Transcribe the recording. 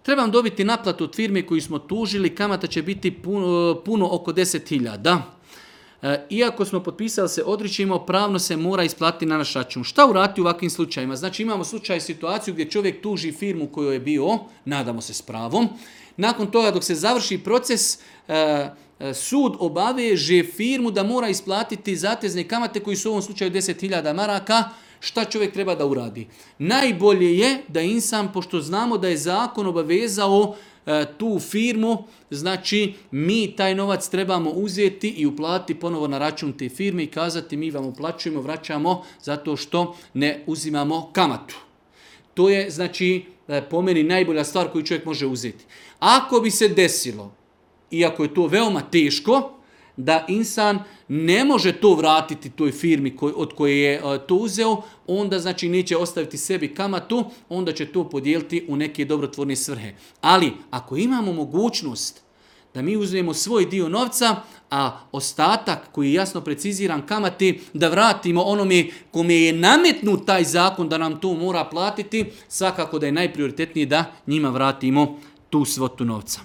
trebam dobiti naplatu od firme koju smo tužili, kamata će biti puno oko 10.000. Iako smo potpisali se odričimo, pravno se mora isplatiti na naš račun. Šta uraditi u ovakvim slučajima? Znači imamo situaciju gdje čovjek tuži firmu koju je bio, nadamo se s pravom. Nakon toga dok se završi proces, sud obaveže firmu da mora isplatiti zatezne kamate koji su u ovom slučaju 10.000 maraka. Šta čovjek treba da uradi? Najbolje je da insan, pošto znamo da je zakon obavezao tu firmu, znači mi taj novac trebamo uzeti i uplatiti ponovo na račun te firme i kazati mi vam uplaćujemo, vraćamo zato što ne uzimamo kamatu. To je znači po meni najbolja stvar koju čovjek može uzeti. Ako bi se desilo, iako je to veoma teško, da insan ne može to vratiti toj firmi od koje je to uzeo, onda znači neće ostaviti sebi kamatu, onda će to podijeliti u neke dobrotvorne svrhe. Ali ako imamo mogućnost da mi uzmemo svoj dio novca, a ostatak koji je jasno preciziran kamati da vratimo onome kome je nametnut taj zakon da nam to mora platiti, svakako da je najprioritetnije da njima vratimo tu svotu novca.